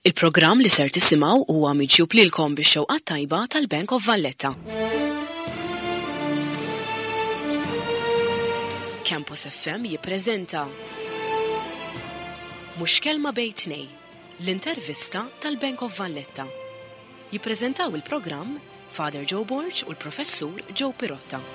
Il-programm li ser tisimgħu huwa miġjub lilkom bix-xewqa t-tajba tal-Bank of Valletta. Campus FM jippreżenta Mhux Kelma Bejn Tnej, l-intervista tal-Bank of Valletta. Jippreżentaw il-programm Father Joe Borg u l-Professur Joe Pirotta.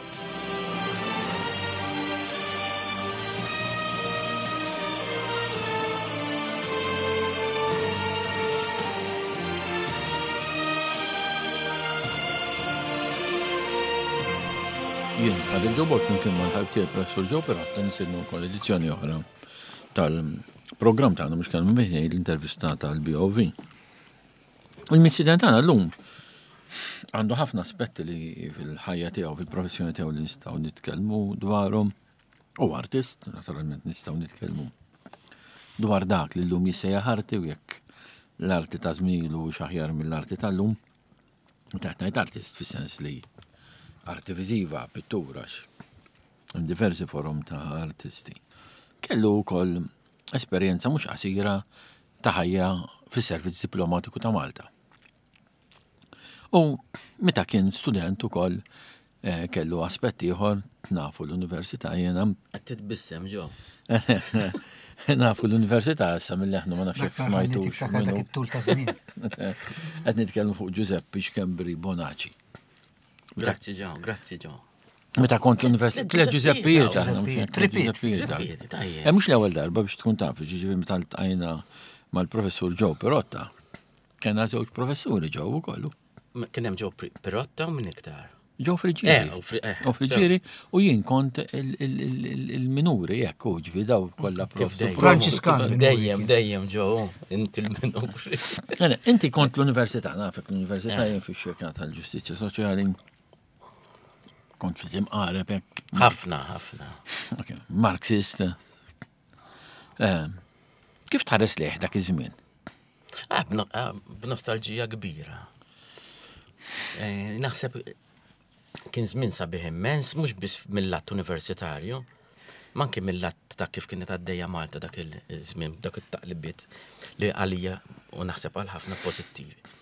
Jien, Father Joe Borg, flimkien mal-ħabib tiegħi Professur Joe Pirotta nisidnu wkoll edizzjoni oħra tal-programm tagħna mhux kelma bejn l-intervista tal-BOV. Il-missieden tagħna llum għandu ħafna aspetti li fil-ħajja tiegħu, fil-professjoni tiegħu li nistgħu nitkellmu dwarhom. U artist, naturalment nistgħu nitkellmu dwar dak li llum jissejjaħ arti u jekk l-arti ta' żmielu xaħjar mill-arti tal-lum. Taħt ngħid artist fis-sens li arti viżiva, pittura, diversi forom ta' artisti. Kellu wkoll esperjenza mhux qasira ta' ħajja fis-servizz diplomatiku ta' Malta. U meta kien student ukoll eh, kellu aspett ieħor nafu l-università jiena. Qed titbissem ġo. Nafu l-università issa mill-leħnu ma nafx jekk smajtu. Qed nitkellmu fuq Giuseppe Xkembri Bonaci. Grazzi ġo, grazzi ġo. Meta kont l-università, tliet Ġużeppijiet aħna, Ġużeppijiet. Eh, mhux l-ewwel darba biex tkun taf, ġifieri meta ltqajna mal-professur Joe Pirotta. Kena żewġ professuri Joe ukoll. Kien hemm Joe Pirotta u minn iktar. Joe Friġieri. Eh, eh, u Friġieri u jien kont il-minuri jekk u ġifi daw kollha professur. Franċiskan. Dejjem, dejjem Joe, inti l-minuri. Inti kont l-università, nafek l-università jien fix-xirka tal-ġustizzja soċjali. Kont ftit imqareb hekk. Ħafna, ħafna. Marxist. Eh, kif tħares lejh dak iż-żmien? Ah, ah, b'nostalġija kbira. Eh, naħseb kien żmien sabiħ immens, mhux biss mill-lat universitarju, ma anke mill-lat ta' kif kienet għaddejja Malta dak il-żmien, dak it-taqlibiet li għalija u naħseb għal ħafna pożittivi.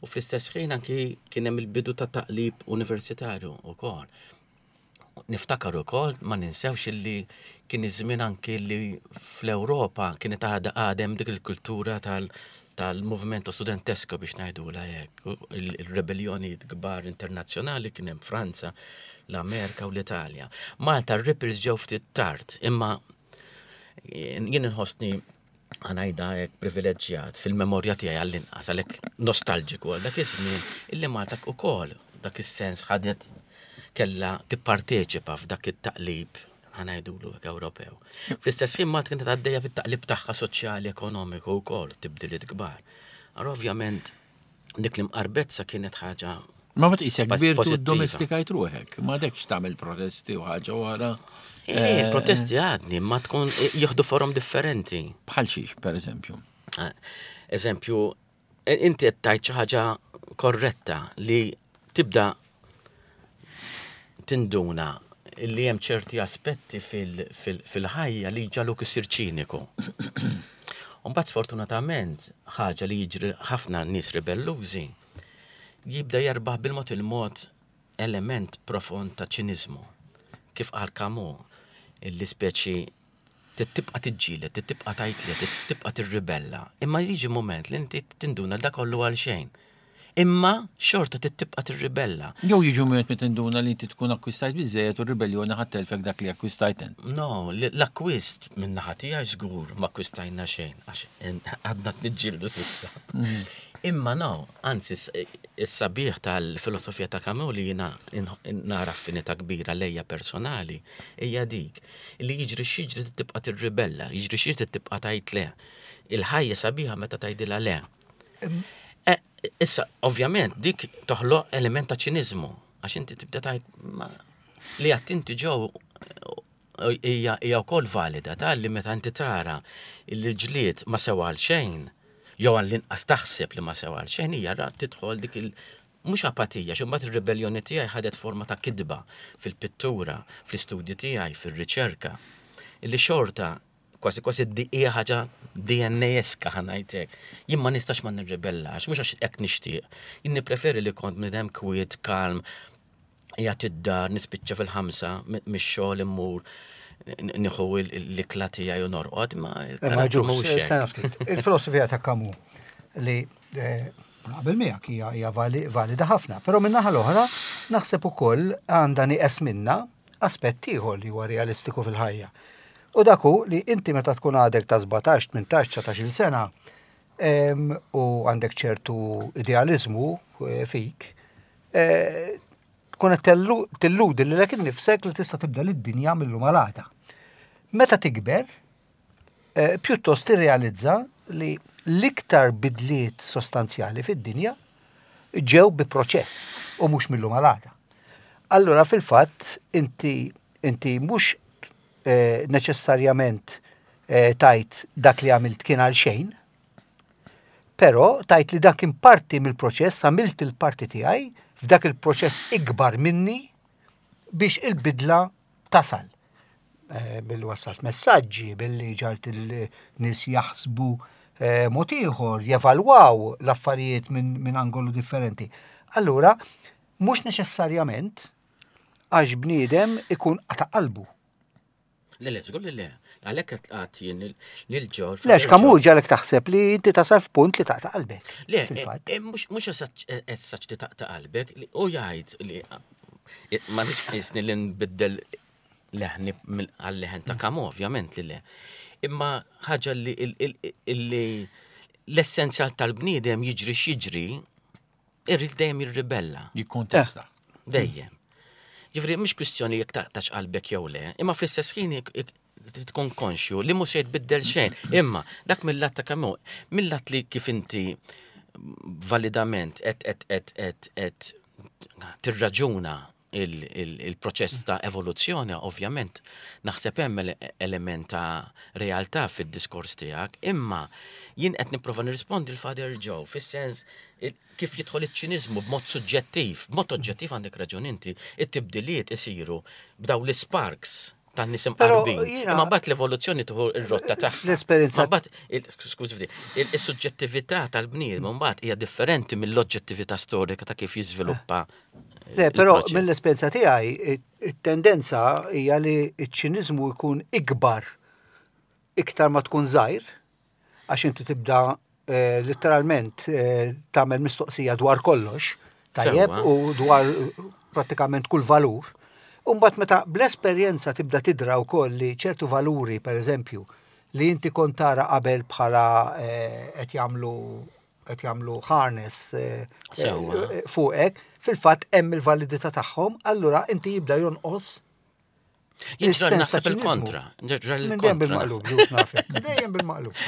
U fl-istess ħin anki kien hemm il-bidu ta' taqlib universitarju wkoll. Niftakar ukoll ma ninsewx illi kien iż-żmien anki li fl-Ewropa kienet għadha għadem dik il-kultura tal tal-movimento studentesco biex ngħidula hekk, il-rebellioni kbar internazzjonali kien hemm Franza, l-Amerika u l-Italja. Malta r-ripples ġew ftit tard, imma jien inħossni ħanajda hekk privileġġjat fil-memorja tiegħi għall-inqas għalhekk nostalġiku għal dak iż-żmien illi Malta ukoll dak is-sens ħadet kellha tipparteċipa f'dak it-taqlib ħanajdulu hekk Ewropew. Fl-istess ħin Malta kienet għaddejja fit-taqlib tagħha soċjali ekonomiku wkoll tibdiliet kbar. Allora ovvjament dik l-imqarbezza kienet ħaġa Ma ma tqisek kbir tu domestikajt ruħek, ma dekx tagħmel protesti u ħaġa wara. Eh, eh, protesti għadni, ma tkun eh, jieħdu forom differenti. Bħal xiex, per eżempju. Eżempju, inti qed tgħid xi ħaġa korretta li tibda tinduna li hemm ċerti aspetti fil-ħajja li ġaluk isir ċiniku. Mbagħad sfortunatament ħaġa li jiġri ħafna nies ribellużi jibda jerbaħ bil-mod il-mod element profond ta' ċiniżmu. Kif qal Camus, illi speċi tibqa' tiġġieled, tibqa' tgħid le, tibqa' tirribella, imma jiġi mument li inti tinduna li dak kollu għal xejn. Imma xorta trid tibqa' tirribella. Jew jiġi mument meta tinduna li inti tkun akkwistajt biżżejjed u r-ribelljoni ħa ttelfek dak li akkwistajt int. No, l-akkwist min-naħa tiegħi żgur ma akkwistajna xejn għax għadna qed niġġieldu s'issa. Imma no, anzi is-sabiħ tal-filosofija ta' Camus li jiena nara affinità kbira lejja personali hija dik li jiġri x'jiġri trid tibqa' tirribella, jiġri x'jiġri trid tibqa' tgħid le. Il-ħajja sabiħa meta tgħidilha le. Eh, issa, ovvjament, dik toħloq element ta' ċiniżmu, għax inti tibda tgħid li għat inti ġew hija hija wkoll valida ta' li meta inti tara li ġlied ma sewa għal xejn, jew għall-inqas taħseb li ma sewa għal xejn, hija ra tidħol dik il mhux apatija, xi mbagħad ir-ribelljoni tiegħi ħadet forma ta' kitba fil-pittura, fl-istudji tiegħi, fir-riċerka, illi xorta kważi kważi hija ħaġa DNA-eska ħa ngħidlek. Jien ma nistax ma nirribellax, mhux għax hekk nixtieq. Jien nippreferi li kont bniedem kwiet, kalm, qiegħed id-dar, nispiċċa fil-ħamsa mix-xogħol immur nieħu l-ikla tiegħi u norqod, ma il-karattru mhux hekk. Il-filosofija ta' Camus li eh, naqbel miegħek hija valida ħafna, però min-naħa l-oħra naħseb ukoll għandha nieqes minna aspett ieħor li huwa realistiku fil-ħajja. U dak hu li inti meta tkun għadek ta' 17, 18, 19 sena u għandek ċertu idealizmu eh, fik, eh, tkun qed tilludi lilek innifsek li tista' tibdel id-dinja mill-lum għal għada. Meta tikber, eh, pjuttost tirrealizza li l-iktar bidliet sostanzjali fid-dinja ġew bi proċess u mhux mill-lum għal għada. Allura fil-fatt inti inti mhux eh, neċessarjament eh, tajt dak li għamilt kien għal xejn, però tajt li dak kien parti mill-proċess, għamilt il-parti tiegħi f'dak il-proċess ikbar minni biex il-bidla tasal. Eh, billi wassalt messaġġi, billi ġalt il-nies jaħsbu eh, mod ieħor, jevalwaw l-affarijiet minn min angolu differenti. Allura, mhux neċessarjament għax bniedem ikun qata' qalbu. Le, le, żgur li le. Għalhekk qed qgħad jien lil ġol. Le, x'kamu ġalek taħseb li inti tasal f'punt li taqta' qalbek. Le, eh, mhux esaċ li taqta' qalbek, u jgħid li ma nix qisni li nbiddel leħni għal-leħen ta' kamu, ovvjament li le. Imma ħaġa li l-essenzjal tal-bniedem jiġri x'jiġri, irrid dejjem jirribella. Jikkontesta. Eh, dejjem. Ġifri, mhix kwistjoni jekk taqtax qalbek jew le, imma fl-istess ħin tkun konxju li mhux se jitbiddel xejn. Imma dak mill-lat ta' kemm mill-lat li kif inti validament qed qed qed qed qed tirraġuna il-proċess ta' evoluzzjoni, ovvjament, naħseb hemm element ta' realtà fid-diskors tiegħek, imma jien qed nipprova nirrispondi l-Father Joe fis-sens kif jidħol iċ-ċiniżmu b'mod suġġettiv, b'mod oġġettiv għandek raġun inti, it-tibdiliet isiru b'daw l-sparks ta' nies imqarbin. Imma mbagħad l-evoluzzjoni tieħu r-rotta tagħha. L-esperjenza. Mbagħad, skużi ftit, is-suġġettività tal-bniedem mbagħad hija differenti mill-oġġettività storika ta' kif jiżviluppa. Le, però mill-esperjenza tiegħi it-tendenza hija li ċ-ċiniżmu jkun ikbar iktar ma tkun żgħir għax inti tibda eh, letteralment eh, tagħmel mistoqsija dwar kollox, tajjeb, u dwar prattikament kull valur. Umbat meta bl-esperjenza tibda tidra wkoll li ċertu valuri, per eżempju, li inti kont tara qabel bħala eh, qed jagħmlu qed jagħmlu harness fuqek, fil-fatt hemm il-validità tagħhom, allura inti jibda jonqos Jien ġrar naħseb il-kontra. Dejjem bil-maqlub, ġus nafek. Dejjem bil-maqlub.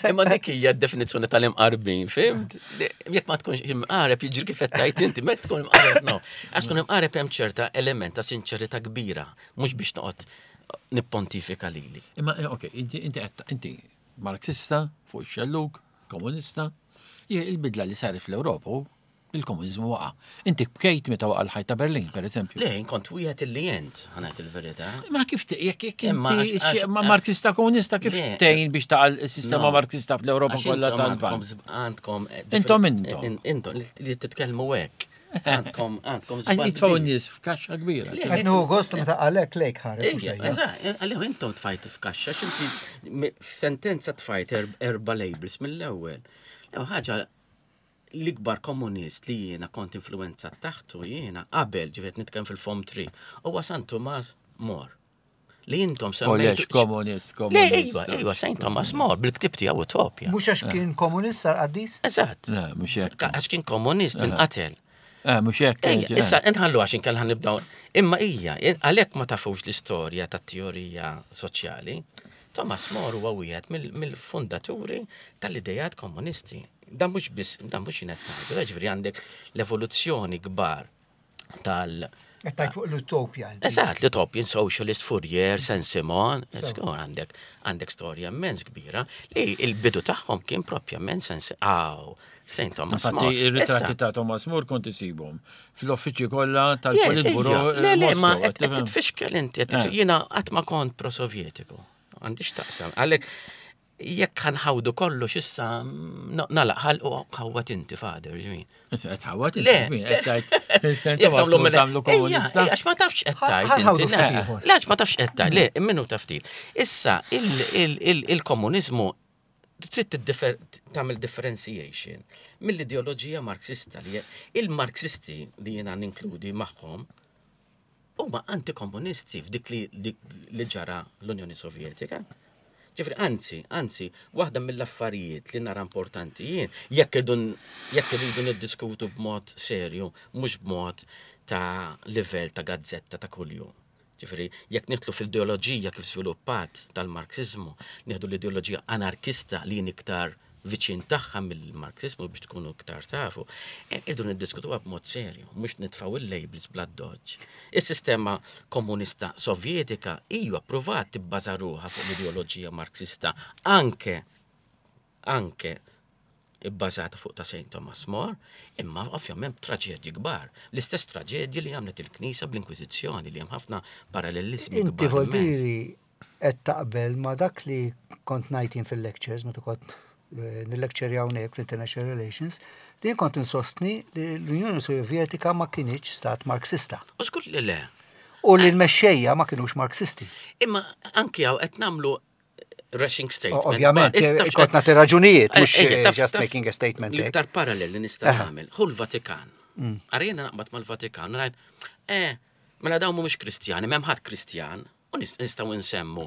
Imma dik hija d-definizzjoni tal-imqarbin, fimt? Jekk ma tkunx imqareb jiġri kif qed tgħid inti, meta tkun imqareb no. Għax tkun imqareb hemm ċerta element ta' sinċerità kbira, mhux biex noqgħod nippontifika lili. Imma eh, ok, inti inti inti Marxista fuq ix-xellug, komunista, il-bidla li saret fl-Ewropa Il-komuniżmu waqa'. Inti bkejt meta waqa' l-ħajt ta' Berlin, per eżempju. Le, kont wieħed illi jent, ħanajt il-verità. Ma kif jekk jekk inti ma Marxista komunista kif tgħin biex taqa' s-sistema Marxista fl-Ewropa kollha tal-Lvant? Għandkom eh, Intom intom. Intom li titkellmu hekk. Għandkom, għandkom. Għax jitfaw n-nies f'kaxxa kbira. Qed nieħu gost meta qalek lejk ħares. Eżatt, għalih intom tfajtu f'kaxxa, x'inti f'sentenza tfajt erba' labels mill-ewwel. Ħaġa L-ikbar komunist li jiena kont influwenzat taħtu jiena qabel, ġifieri qed nitkellem fil-Form 3, huwa San Tumas More. Li intom semmejtu. Komunist, komunist. Le, iva, iva, Saint Thomas More, bil-ktib tiegħu Utopja. Mhux għax kien komunist sar qaddis? Eżatt. Le, mhux hekk. Għax kien komunist inqatel. Eh, mhux hekk. Issa inħallu għax inkella nibdew. Imma hija, għalhekk ma tafux l-istorja tat-teorija soċjali. Thomas More huwa wieħed mill-fundaturi tal-idejat komunisti. Dan mhux biss, dan mhux jien qed ngħidu, eh, ġifieri għandek l-evoluzzjoni kbar tal- Qed tgħid fuq l-Utopja. Eżatt, l-Utopian Socialist, Fourier, Saint-Simon, żgur għandek għandek storja immens kbira li il-bidu tagħhom kien propjament Saint Aw, Saint Thomas More. Infatti ir-ritratti ta' Thomas More kont isibhom fl-uffiċċji kollha tal-Politburo. Le, le, ma qed tfixkel inti, eh. jiena qatt ma kont pro-Sovjetiku. Għandix taqsam. Għalhekk. Jekk ħa nħawdu kollox issa nagħlaq ħalq u ħawwad inti father, ġifieri. Qed ħawwad inti, qed tgħid. Jekk tagħmlu mela tagħmlu komunista. Għax ma tafx qed tgħid inti. Le għax ma tafx qed tgħid, le minnu taf ftit. Issa il-komuniżmu trid tagħmel differentiation mill-ideoloġija Marxista li il-Marxisti li jiena ninkludi magħhom huma antikomunisti f'dik li, li ġara l-Unjoni Sovjetika. Ġifri, anzi, anzi, waħda mill-affarijiet li nara importanti jien, jekk irridu jekk irridu niddiskutu b'mod serju, mhux b'mod ta' livell ta' gazzetta ta' kuljum. Ġifri, jekk nidħlu fil-ideoloġija kif żviluppat tal-Marxiżmu, nieħdu l-ideoloġija anarkista li jien iktar viċin tagħha mill-Marxiżmu biex tkunu iktar tafu, e, irdu niddiskutuha b'mod serju, mhux nitfgħu il-labels bla doġġ. Is-sistema komunista Sovjetika hija ppruvat tibbaża ruħha fuq l-ideoloġija Marxista anke anke bbażata fuq ta' St. Thomas More, imma ovvjament traġedji kbar. L-istess traġedji li għamlet il-Knisja bl-Inkwiżizzjoni li hemm ħafna parallelizmi Inti voldiri qed taqbel ma' dak li kont ngħid jien fil-lectures meta kont eh, nil-lecture hawnhekk fl-International Relations, li jien kont insostni li l-Unjoni Sovjetika ma kinitx stat Marxista. U żgur li le. U li l-mexxejja ma kinux Marxisti. Imma anki hawn qed nagħmlu rushing statement. Ovvjament, kont nagħti raġunijiet, mhux eh, just making a statement. L-iktar parallel li nista' nagħmel hu l-Vatikan. Mm. Arjena naqbad mal-Vatikan, ngħid, eh, mela dawn mhumiex Kristjani, m'hemm ħadd Kristjan, U nistgħu nsemmu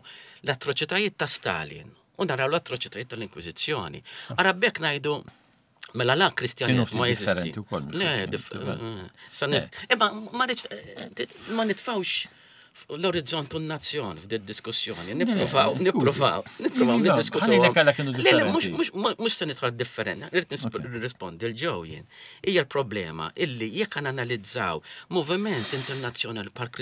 l-atroċitajiet ta' Stalin u naraw l-atroċitajiet tal-Inkwiżizzjoni. Ara b'hekk ngħidu mela la Kristjaniżmu ma jeżisti. Le, eh, imma ma nitfawx l-orizzont u n-nazzjon f'din diskussjoni. Nippruvaw, nippruvaw, nippruvaw iva, niddiskutu. Mhux se nidħol differenti, rrid nirrispondi l-ġew jien. Hija l-problema illi jekk analizzaw moviment internazzjonali bħal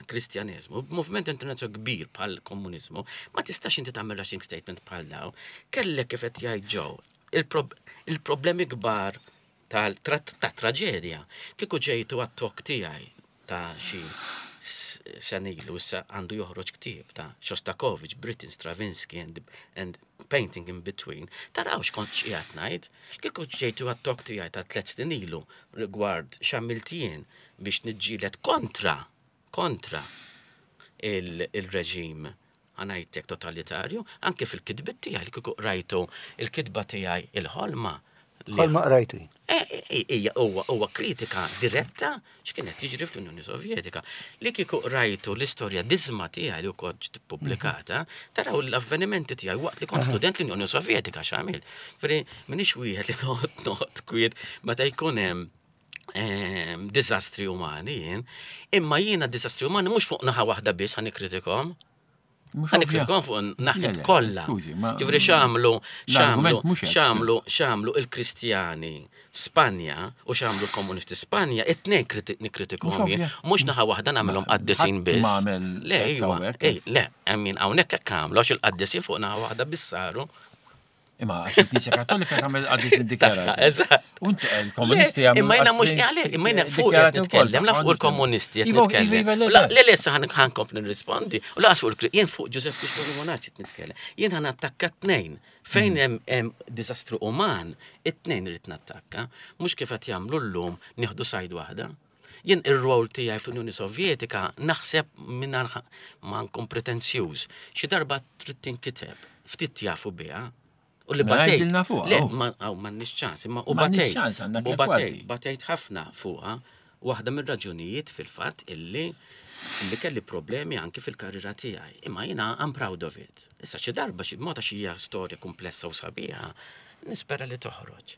Kristjaneżmu, moviment internazzjonali kbir bħal komuniżmu, ma tistax inti tagħmel rushing statement bħal daw. Kellek kif qed jgħid ġew il-problemi kbar ta' traġedja. Kieku ġejtu għat-tok tiegħi ta' xi sena ilu issa għandu joħroġ ktieb ta' Shostakovich, Britten, Stravinsky and, and Painting in Between, taraw x'kont x'qiegħed ngħid. Kieku ġejtu għat-tok tiegħi ta' tliet snin ilu rigward x'għamilt jien biex niġġieled kontra kontra il-reġim ħa ngħidlek totalitarju, anke fil-kitbiet tiegħi li kieku qrajtu il-kitba tiegħi il-ħolma. Ħolma qrajtu. Eh, eh, hija huwa kritika diretta x'kien qed jiġri fl-Unjoni Sovjetika. Li kieku qrajtu l-istorja disma tiegħi li wkoll ġiet ippubblikata, taraw l-avvenimenti tiegħi waqt li kont student l-Unjoni Sovjetika x'għamil. Ġifieri m'iniex wieħed li noqgħod noqgħod kwiet meta jkun hemm Ehm, diżastri umani jien, imma jiena diżastri umani mhux fuq naħa waħda biss ħa nikkritikom. Ħa nikkritikom fuq naħa kollha. Ġifieri x'għamlu x'għamlu x'għamlu x'għamlu il-Kristjani Spanja u x'għamlu l-Komunisti Spanja, it-tnejn nikkritikom jien. Mhux naħa waħda nagħmilhom qaddisin biss. Le, iva, le, hemm min hawnhekk hekk għamlu għax il-qaddisin fuq naħa waħda biss saru. Imma għax il-Knisja Kattolika tagħmel qaddis indikjarat. Eżatt. U l-komunisti jagħmlu. Imma jiena mhux għale, imma jiena fuq qed nitkellem, la fuq il-komunisti qed iva, nitkellem. Iva, iva, le le issa ħankompli nirrispondi. U laqas fuq il jien fuq Giuseppe Scioli Monaci qed nitkellem. Jien ħan attakka tnejn. Fejn mm. hemm diżastru uman, it-tnejn irid nattakka, mhux kif qed jagħmlu llum nieħdu sajd waħda. Jien ir-rwol tiegħi fl-Unjoni Sovjetika naħseb mingħajr ma nkun pretenzjuż. Xi darba trid tinkiteb, ftit jafu biha. U li Mela batejt. għidilna fuqha, Le, oh. ma hawn m'għandniex ċans, imma u M'għandniex batejt. ċans, għandna U tliet batejt, kwarti. batejt ħafna fuqha. Waħda mir-raġunijiet fil-fatt illi illi kelli problemi anki fil-karriera tiegħi. Imma jiena I'm proud of it. Issa xi darba xi mod għax hija storja komplessa u sabiħa, nispera li toħroġ.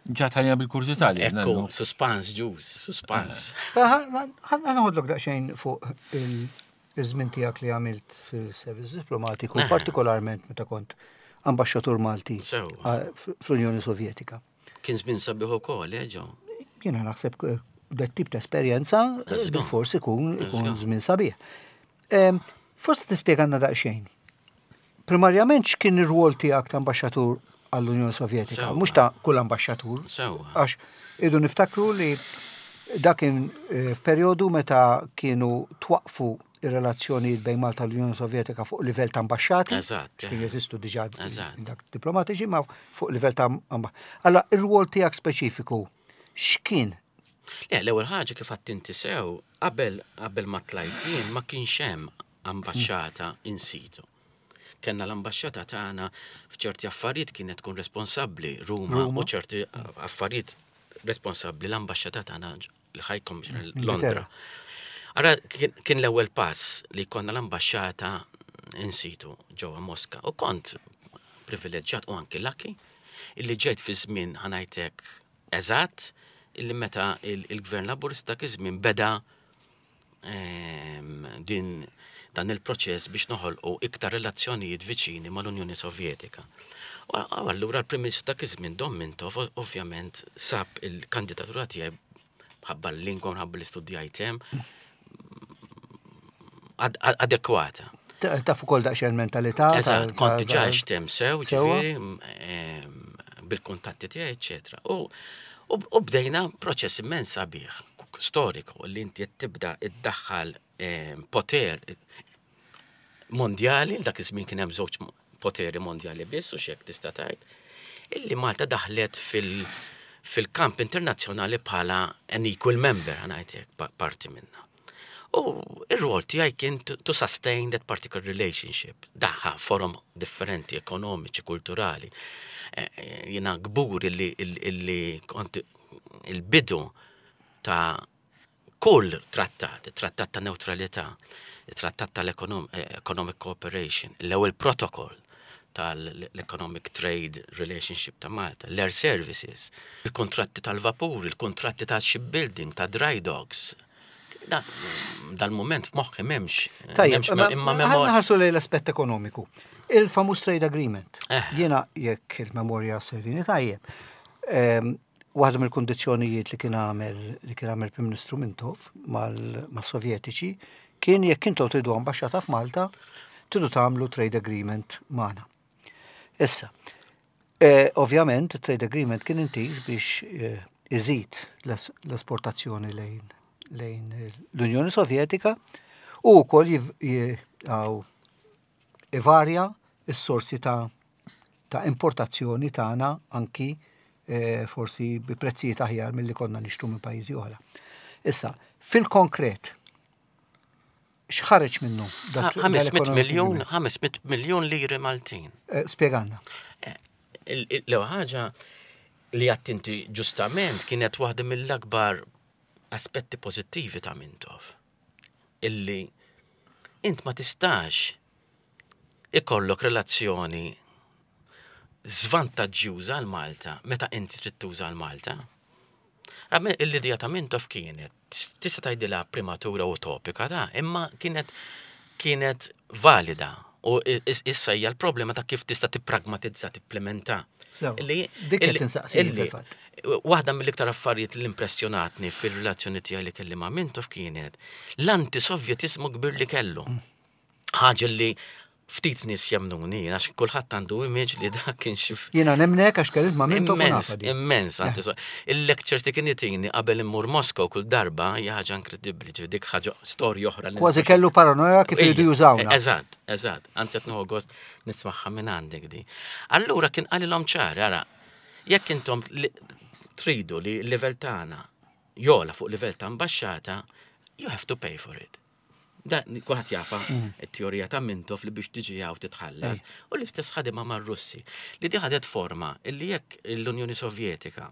Ġat ħajja bil-kurżità li. Ekku, suspans ġus, suspans. Ħanħodlok daqsxejn fuq il-żmien tiegħek li għamilt fil-servizz diplomatiku, partikolarment meta kont ambaxxatur Malti fl-Unjoni Sovjetika. Kien żmien sabiħ ukoll, eh, ġo. Jiena naħseb eh, dat tip ta' esperjenza eh, forsi ikun ikun żmien sabiħ. Forsi tispjegana daqsxejn. Primarjament x'kien ir-rwol tiegħek ta' ambaxxatur għall-Unjoni Sovjetika, mhux ta' kull ambaxxatur. Għax idu niftakru li dak kien eh, f'perjodu meta kienu twaqfu ir-relazzjonijiet bejn Malta u l-Unjoni Sovjetika fuq livell ta' ambaxxati. Eżatt. Kien jeżistu diġà Eżatt. dak diplomatiċi, ma fuq livell ta' ambaxxati. Allora, ir-rwol tiegħek speċifiku x'kien? Le, l-ewwel ħaġa kif għedt inti sew, qabel qabel ma tlajt jien ma kienx hemm ambaxxata in situ. Kenna l-ambaxxata tagħna f'ċerti affarijiet kienet tkun responsabbli Ruma, Ruma. u ċerti affarijiet responsabbli l-ambaxxata tagħna l-High Commissioner Londra. Ara kien kien l-ewwel pass li konna l-ambaxxata in situ ġewwa Moska u kont privileġġjat u anki lucky illi ġejt fi żmien ħa ngħidlek eżatt illi meta il- il-gvern laburista dak iż-żmien beda din dan il-proċess biex noħolqu iktar relazzjonijiet viċini mal-Unjoni Sovjetika. U u allura l-Prim Ministru dak iż-żmien Dom Mintoff ovvjament sab il-kandidatura tiegħi ħabba l-lingwa minħabba l-istudjajt hemm adekwata. Taf ukoll daqsxejn mentalità. Eżatt, kont diġà hemm sew, Sewwa. ġifieri, bil-kuntatti tiegħi, eċetera. U u bdejna proċess immens sabiħ, storiku, li inti qed tibda iddaħħal poter mondjali, dak iż-żmien kien hemm żewġ poteri mondjali biss u xek tista' tgħid, illi Malta daħlet fil- fil-kamp internazzjonali bħala an equal member, ħa ngħidlek, parti minna. U ir-rol tiegħi kien to sustain that particular relationship. Daħħa forum differenti, ekonomiċi, kulturali. Jiena kbur illi kont il-bidu ta' kull trattat, trattat ta' neutralità, trattat tal-Economic Cooperation, l-ewwel protokoll tal-Economic Trade Relationship ta' Malta, l-Air Services, il-kontratti tal-vapur, il-kontratti ta' shipbuilding, ta' dry docks. Dal-moment f'moħħi m'hemmx. Tajjeb, m'hemmx imma memorja. ħarsu lejn l-aspett ekonomiku. Il-famuż trade agreement. Jiena jekk il-memorja servini tajjeb. Waħda mill-kundizzjonijiet li kien għamel Prim Ministru Mintoff mal-Sovjetiċi kien jekk intom tridu ambaxxata f'Malta, tridu tagħmlu trade agreement magħna. Issa, ovvjament, trade agreement kien intiż biex iżid l-esportazzjoni lejn l-Unjoni Sovjetika u wkoll ivarja s-sorsi ta' importazzjoni tagħna anki forsi bi prezzijiet aħjar milli konna nixtru minn pajjiżi oħra. Issa, fil-konkret, x'ħareġ minnu? 500 dal-economic miljun, agreement? 500 miljun liri Maltin. Spjegalna. L-ewwel ħaġa li għedt inti ġustament kienet waħda mill-akbar aspetti pożittivi ta' Mintoff. Illi int ma tistax ikollok relazzjoni żvantaġġjuża għal Malta meta inti trid tuża għal Malta. L-idea ta' Mintoff kienet, tista' tgħidilha prematura utopika ta' imma kienet valida. U issa hija l-problema ta' kif tista' tippragmatizza, tipplementa. Sew, dik qed insaqsik fil-fatt. Waħda mill-iktar affarijiet li impressjonatni fil-relazzjoni tiegħi li kelli ma' Mintoff kienet l-antisovjetizmu kbir li kellu. Ħaġa li ftit nies jemmnuni, għax kulħadd għandu image li dak kien xi Jiena nemnek għax kellimt ma' Mintoff u Immens, nafa di. immens, il-lectures li kien jtini qabel immur Moskow kull darba hija ħaġa inkredibbli, ġifieri dik ħaġa storja oħra li Kważi kellu paranoja kif iridu jużawna. Eżatt, anzi qed nieħu gost nismagħha minn għandek di. Allura kien qalilhom ċar, ara, jekk intom tridu li l-livell tagħna jogħla fuq livell ta' ambaxxata, you have to pay for it. Da, kulħadd jafa it-teorija ta' Mintoff li biex tiġi hawn titħallas. U l-istess ħadima mar-Russi. Li di ħadet forma illi jekk l-Unjoni Sovjetika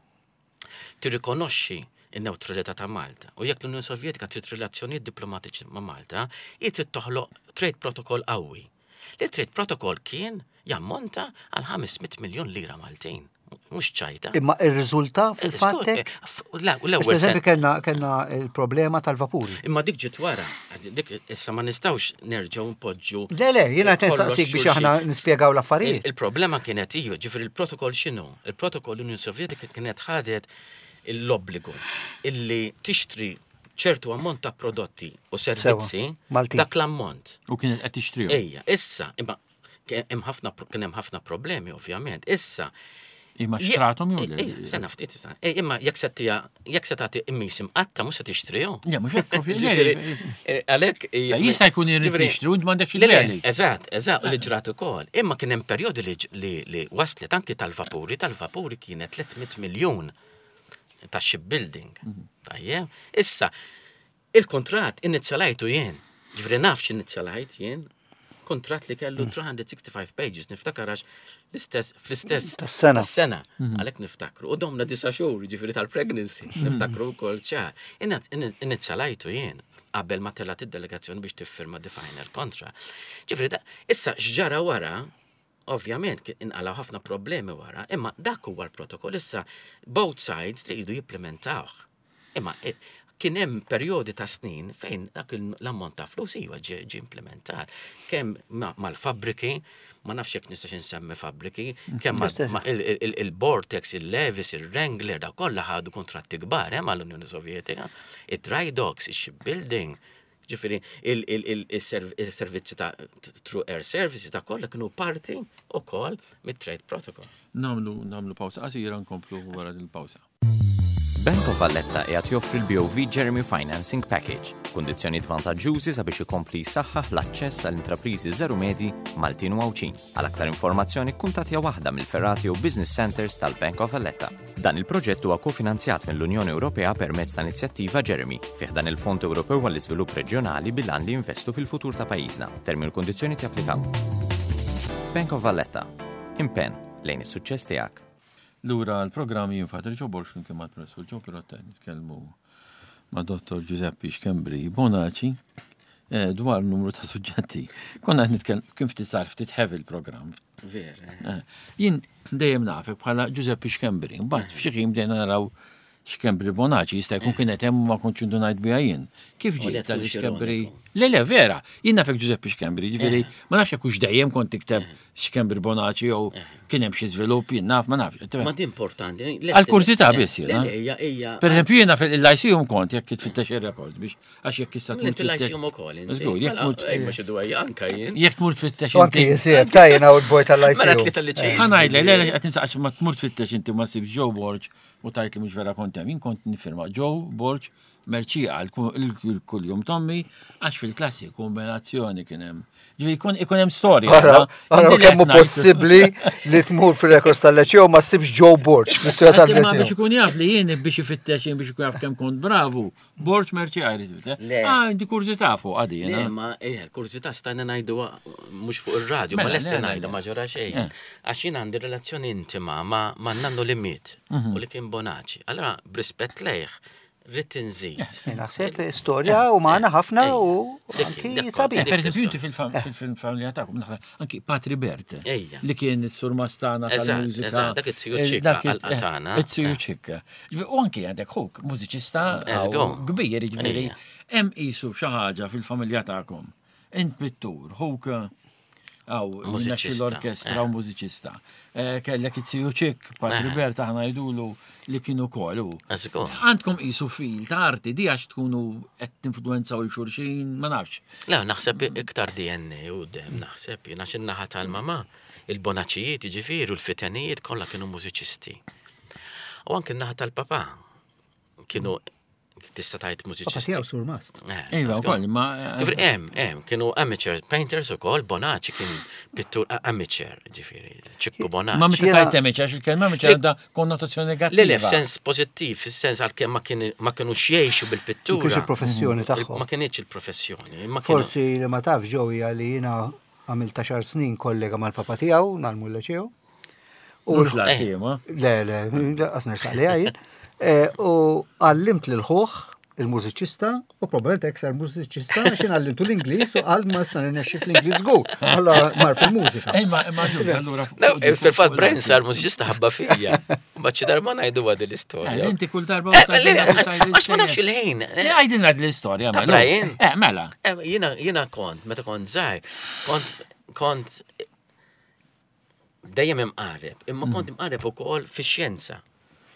tirrikonoxxi in-neutralità ta' Malta u jekk l-Unjoni Sovjetika trid relazzjonijiet diplomatiċi ma' Malta, hi trid toħloq trade protocol qawwi. Li trade protocol kien jammonta għal 500 miljon lira Maltin. Mhux ċajta. Imma ir-riżulta fil-fatt Skur, hekk? La, u l-ewwel Per eżempju kellna il-problema tal-vapuri. Imma dik ġiet wara, dik issa ma nistgħux nerġgħu npoġġu. Le, jiena qed kollox nsaqsik biex xulxin. aħna nispjegaw l-affarijiet. Il-problema kienet iju, ġifieri il-protokoll x'inhu? Il-protokoll l-Unjoni Sovjetika kienet ħadet l-obbligu illi tixtri ċertu ammont ta' prodotti u servizzi Maltin. dak l-ammont. U kienet qed tixtrihom. Ejja, issa, imma kien hemm ħafna problemi ovvjament. Issa, Imma xtrathom jew le? Sena ftit, imma jekk se tija, jekk se tagħti immis imqatta mhux se tixtrihom. Le, mhux hekk eh, Għalhekk jista' jkun irid jixtri u m'għandekx il Eżatt, eżatt, u li ġrat ukoll. Imma kien hemm perjodi li waslet anki tal-vapuri, tal-vapuri kienet 300 miljun ta' shipbuilding. Mhm. Tajjeb. Issa, Il-kuntratt inizjalajtu jien. Ġifieri naf x'inizjalajt jien. Kuntratt li kellu 365 pages, niftakar għax l-istess fl-istess Tas-sena. Tas-sena. Mhm. Għalhekk niftakru. U domna disa' xhur, ġifieri tal-pregnancy, mhm. niftakru wkoll ċar. Inizjalajtu jien qabel ma telgħet id-delegazzjoni biex tiffirma the final contract. Ġifieri issa x'ġara wara, ovvjament inqalgħu ħafna problemi wara, imma dak huwa l-protokoll issa both sides li jridu jipplementawh. Imma eh, kien hemm perjodi ta' snin fejn dak l-ammont ta' flus iva ġie implementat. Kemm mal-fabbriki, ma nafx jekk nistax insemmi fabbriki, kemm il-Vortex, il-Levis, il-Wrangler, da kollha ħadu kontratti kbar eh, mal-Unjoni Sovjetika, id-dry docks, il-shipbuilding, ġifieri il-servizzi ta' through air services ta' kollha kienu parti ukoll mit-trade protocol. Namlu namlu pawsa qasira nkomplu wara il-pawsa. Bank of Valletta qiegħed joffri l-BOV Jeremy Financing Package, kundizzjonijiet vantaġġjużi sabiex ikompli jsaħħaħ l-aċċess għal intrapriżi żeru medji Maltin u Għawdxin. Għal aktar informazzjoni kkuntattja waħda mill-fergħat jew business centres tal-Bank of Valletta. Dan il-proġett huwa kofinanzjat mill-Unjoni Ewropea permezz ta' inizjattiva Jeremy fi ħdan il-Fond Ewropew għall-Iżvilupp Reġjonali bil-għan li jinvestu fil-futur ta' pajjiżna. Termini u kundizzjonijiet japplikaw. Bank of Valletta. Impenn lejn is-suċċess tiegħek. Lura għall-programm jien Father Joe Borg flimkien mal-Professur Joe Pirotta qed nitkellmu ma' Dottor Giuseppe Schembri Bonaci eh, dwar numru ta' suġġetti. Konna qed nitkellmu kien ftit sar ftit heavy l-programm. Vera. Eh. eh, jien dejjem nafek bħala Giuseppe Schembri, mbagħad f'xi ħin bdejna naraw Schembri Bonaci jista' jkun kienet hemm ma kontx indunajt biha jien. Kif ġiet tal Schembri? Le le vera, jien nafek Giuseppe Schembri, ġifieri eh. ma nafx jekk hux dejjem kont tikteb eh. Schembri Bonaci jew eh. kien hemm xi żvilupp jien naf ma nafx. Ma di importanti. Għal kurzità biss jiena. Per eżempju jiena fil-lyceum kont jekk tfittex ir-rekord biex għax jekk issa tmur. Fil-lyceum ukoll. Żgur, jekk mur. Ejma xi dwejja anka jien. Jekk tmur tfittex. Anki jisir, ta' jiena u l-boj tal-lyceum. Mela tlieta li ċejn. Ħa ngħidlek, le qed insaqx ma tmur tfittex inti ma sibx Joe Borg U tgħid li mhux vera kont hemm. Jien kont nifirma Joe Borg Mercieca l-kuljum tommi għax fil-klassi kombinazzjoni kien hemm. Ġifieri jkun ikun hemm storja. Ara, ara kemm hu possibbli li tmur fir-rekords tal-leċew ma ssibx Joe Borg fl-istorja tal-leċew. Ma biex ikun jaf li jien biex ifittex jien biex ikun jaf kemm kont bravu, Borg Mercieca jrid ifittex. Ah, di kurżità fuq għadi. Le, ma eh, kurżità stajna ngħidu mhux fuq ir-radju, ma mela, lesti ngħidha ma ġara xejn. Eh. Għax jien għandi relazzjoni intima ma' nannu li miet mhm. u li kien Bonaci. Allora, b'rispett lejh, rrid inżid. Eh, naħseb storja umana ħafna u anki sabiħ. Per eżempju, inti fil-familja tagħkom, anki Patri Bert, li kien is-surmastana tal-mużika. Dak it-tiju ċikka għal-qatana. It-tiju ċikka. U anki għandek ħuk, mużiċista kbir, ġifieri, hemm qisu xi ħaġa fil-familja tagħkom. Int pittur, ħuk għaw, mużiċista l-orkestra u eh. mużiċista. Eh, kellek it-tiju ċik, Patri eh. Bert aħna jgħidulu li kienu kol. Għandkom qisu fil ta' arti di għax tkunu qed tinfluenzaw il-xurxin, ma nafx. Le, naħseb iktar DNA u dem, naħseb jien għax in-naħa tal-mama, il-bonaċijiet, jiġifieri, u l-fitenijiet kollha kienu mużiċisti. U anke n-naħa tal-papa kienu tista' tgħid mużiċisti. Papa tiegħu surmast. Eh, iva, wkoll, ma. Ġifieri hemm, hemm, kienu amateur painters ukoll, Bonaci kien pittur amateur, ġifieri, Ċikku Bonaci. Ma meta tgħid amateur, għax il-kelma amateur għandha konnotazzjoni negattiva. Le, le, f'sens pożittiv, fis-sens għalkemm ma kienux jgħixu bil-pittura. Ma kienx il-professjoni tagħhom. Ma kienx il-professjoni. Forsi li ma taf ġew hija li jiena għamilt għaxar snin kollega mal-papa tiegħu nagħlmu l-ċew. U l-ħaddiem, Le, le, għas nersaq li għajin. Eh, u għallimt lil ħuħ il-mużiċista u probabbilment hekk sar mużiċista għax jien għallimtu l-Ingliż u qal ma sa nirnexxi fl-Ingliż żgur. Alla mar fil-mużika. Imma imma allura. Eh, fil-fatt Brian sar mużiċista ħabba fija. Mbagħad xi darba ngħidu għad l-istorja. Eh, inti kull darba. Għax ma nafx il-ħin. Għajdilna l-istorja. Mela. Brian. Mela. Jiena kont, meta kont żgħir, kont kont dejjem imqareb, imma kont mm. imqareb ukoll fix-xjenza.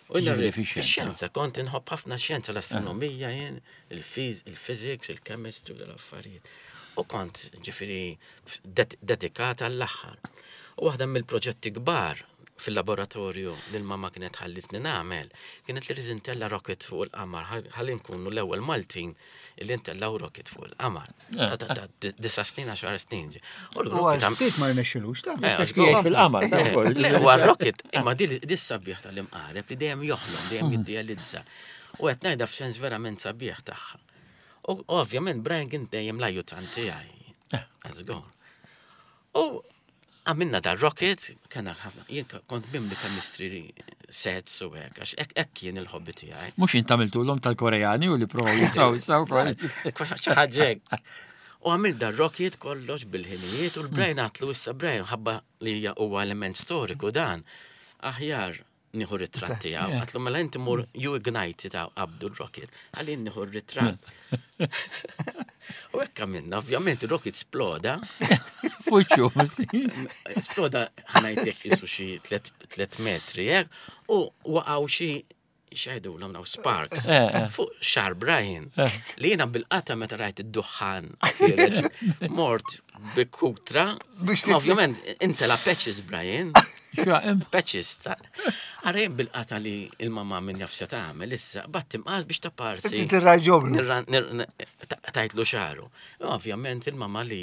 U jiġifieri fix-xjenza. Kont inħobb ħafna xjenza, l-astronomija jien, il-physics, il-chemistry u l-affarijiet. U kont ġifieri dedikata għall-aħħar. U waħda mill-proġetti kbar. fil-laboratorju li l-mamma kienet ħallitni nagħmel, kienet li rrid intella rocket fuq il-qamar, ħalli nkunu l-ewwel Maltin li ntellaw rocket fuq il-qamar. Eh. Disa snin, għaxar snin. U l-rocket ftit ma rnexxilux ta' eh, fil-qamar. Eh, u rocket imma di sabiħ tal-imqareb li dejjem joħlom, dejjem hmm. jiddealizza. U qed ngħidha f'sens verament sabiħ tagħha. U ovvjament Brian kien dejjem l-ajutant tiegħi. Let's go. U għamilna dar rocket, kena ħafna, jien kont mimli chemistry sets u hekk, għax hekk kien il-hobby tiegħi. Mhux int għamiltulhom tal-Koreani u li provaw jitfgħu issa wkoll. Xi ħaġa hekk. U għamil dar rocket kollox bil-ħinijiet u l-Brian għatlu issa Brian ħabba li huwa element storiku dan. Aħjar nieħu ritratt tiegħu. Għatlu mela inti mur you ignite ta' qabdu r-rocket. Għalli nieħu r-ritratt. U hekk għamilna, ovvjament ir-rocket sploda. Fuċċu, Sploda ħanajtek jisu xi 3 metri, hekk, u waqgħu xi xajdu l daw sparks eh, eh. fuq xar Brian eh. li jena bil-qata meta rajt id-duħħan mort bikutra ovvjament inta la patches Brian Patches ta' Għarajn bil-qata li il-mamma minn jaf se tagħmel issa, bat timqas biex ta' parsi. Tirraġoblu. Tajtlu xaru. Ovvjament il-mamma li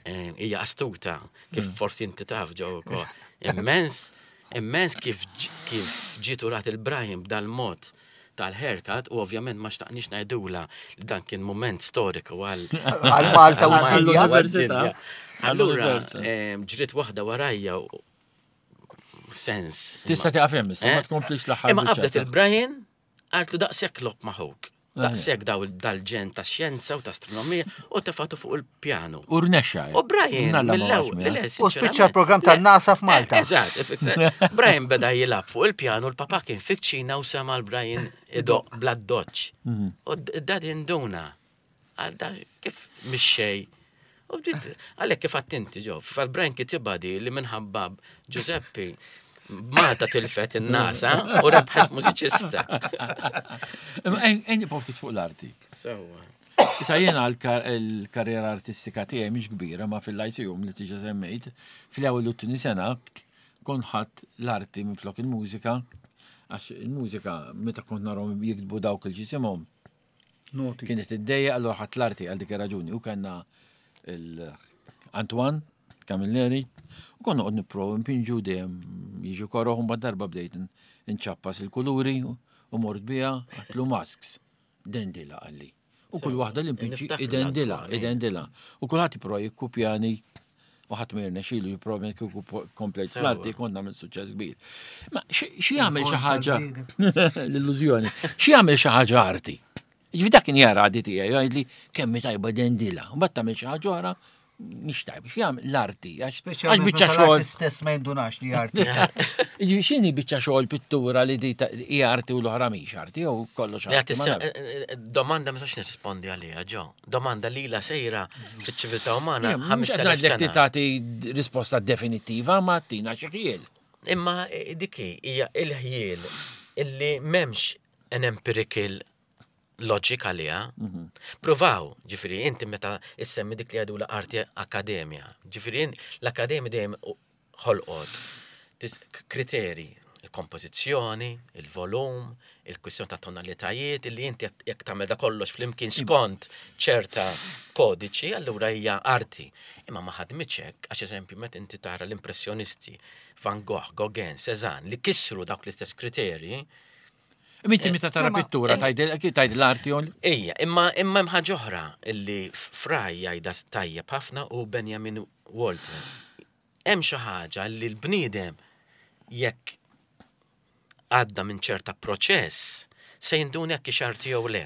eh, hija astuta, kif mm. forsi inti taf ġew ukoll. Immens, immens kif kif ġiet urat il-Brian b'dal-mod tal-haircut u ovvjament ma xtaqniex ngħidula li dan kien mument storiku għal għal Malta u għall-università. Allura eh, ġriet waħda warajja sens. Tista' tieqaf hemm issa, ma eh? tkomplix l-aħħar. Imma qabdet il-Brian għartlu daqshekk lob maħuk. Eh. Daqshekk daw dal-ġen ta' xjenza u ta' astronomija u tefatu fuq il-pjanu. U rnexxa. U Brian mill-ewwel. U spiċċa l-programm tan-NASA f'Malta. Eh, eżatt, Brian beda jilgħab fuq il-pjanu, l-papa kien fiċ-Ċina u sema l-Brian idoq bla doċ. Mhm. U dad induna. Għal da kif mixxej. U bdiet għalhekk kif attinti ġo, fal-Brian kitibha di li minħabba Giuseppe Malta tilfet in-NASA u rebħet mużiċista. Imma ejn nibqgħu fuq l-arti. Sewwa. Issa jiena l-karriera artistika tiegħi mhix kbira ma fil-lyceum li tiġa semmejt, fl-ewwel u t-tieni sena kont ħadd l-arti minflok il-mużika għax il-mużika meta kont narhom jiktbu dawk il-ġisimhom Noti. Kienet id-dejja allura ħadd l-arti għal dik ir-raġuni u kellna l-Antoine Camilleri u konna qod nipprovaw npinġu dejjem jiġu koroħ u darba bdejt nċappas il-kuluri u mort biha għatlu masks. Dendila għalli. U kull waħda li npinġi idendila, idendila. U kulħadd jipprova jikkupjani u ħadd ma jirnexxilu jipprova kieku komplejt fl-arti kont nagħmel suċċess kbir. Ma xi jagħmel xi ħaġa l-illużjoni, xi jagħmel xi ħaġa arti. Ġifi dak kien jara għadi tiegħi jgħidli kemm tajba dendila, u mbagħad tagħmel xi ħaġa oħra mhix tajba, xi jagħmel l-arti għax biċċa xogħol. stess ma jindunax li arti. Ġifi x'inhi biċċa xogħol pittura li di hija arti u l-oħra mhix arti jew kollox arti. Eh, eh, domanda ma sax nirrispondi għaliha ġo. Domanda li la sejra fiċ-ċiviltà umana. Mhux qed ngħidlek li tagħti risposta definittiva ma tina xi ħjiel. Imma eh, dik hija il-ħjiel illi m'hemmx an empirical logic għaliha. Mhm. Provaw, ġifieri inti meta issemmi dik li għadu l-arti akademja. Ġifieri l-akademja dejjem ħolqot kriteri, il-kompożizzjoni, il-volum, il-kwistjoni ta' tonalitajiet, illi inti jekk tagħmel da kollox flimkien skont ċerta kodiċi, allura hija arti. Imma ma ħadmitx hekk, għax eżempju meta inti tara l-impressjonisti, Van Gogh, Gauguin, Cézanne, li kisru dawk l-istess kriterji, Minti meta tara pittura tgħid l-arti on? Ejja, imma imma hemm ħaġa oħra illi Fraj jgħidha tajjeb ħafna u Benjamin Walter. Hemm xi ħaġa li l-bniedem jekk għadda minn ċerta proċess se jinduna jekk hix arti jew le.